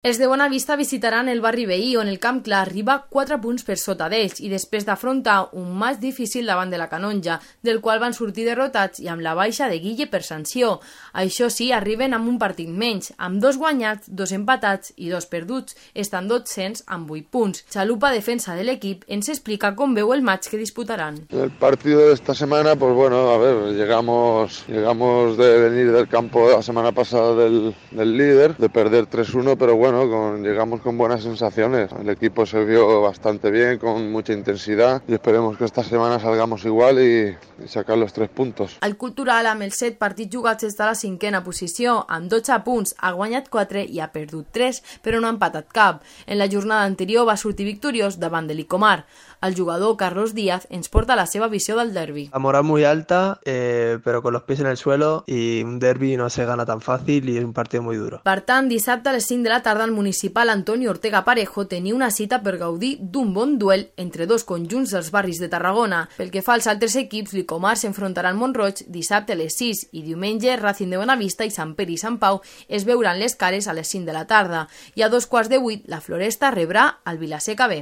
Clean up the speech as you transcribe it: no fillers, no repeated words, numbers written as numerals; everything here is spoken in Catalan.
Els de Bonavista visitaran el barri veí, on el Camp Clar arriba 4 punts per sota d'ells i després d'afrontar un matx difícil davant de la Canonja, del qual van sortir derrotats i amb la baixa de Guille per sanció. Això sí, arriben amb un partit menys, amb 2 guanyats, 2 empatats i 2 perduts, estan 200 amb 8 punts. Chalupa, defensa de l'equip, ens explica com veu el match que disputaran. El partido de esta semana, pues bueno, a ver, llegamos de venir del campo la semana pasada del líder, de perder 3-1, pero bueno, llegamos con buenas sensaciones. El equipo se vio bastante bien, con mucha intensidad, y esperemos que esta semana salgamos igual y sacar los 3 puntos. El Cultural, amb els 7 partits jugats, està a la 5a posició, amb 12 punts, ha guanyat 4 i ha perdut 3, però no ha empatat cap. En la jornada anterior va sortir victoriós davant de l'Icomar. El jugador Carlos Díaz ens porta la seva visió del derbi. La moral muy alta, pero con los pies en el suelo, y un derbi no se gana tan fácil y es un partido muy duro. Per tant, dissabte a les 5 de la tarda el municipal Antonio Ortega Parejo tenia una cita per gaudir d'un bon duel entre 2 conjunts dels barris de Tarragona. Pel que fa als altres equips, l'Icomar s'enfrontarà al Mont-roig dissabte a les 6 i diumenge Racing de Bonavista i Sant Pere i Sant Pau es veuran les cares a les 5 de la tarda. I a 2:15 la Floresta rebrà el Vilaseca B.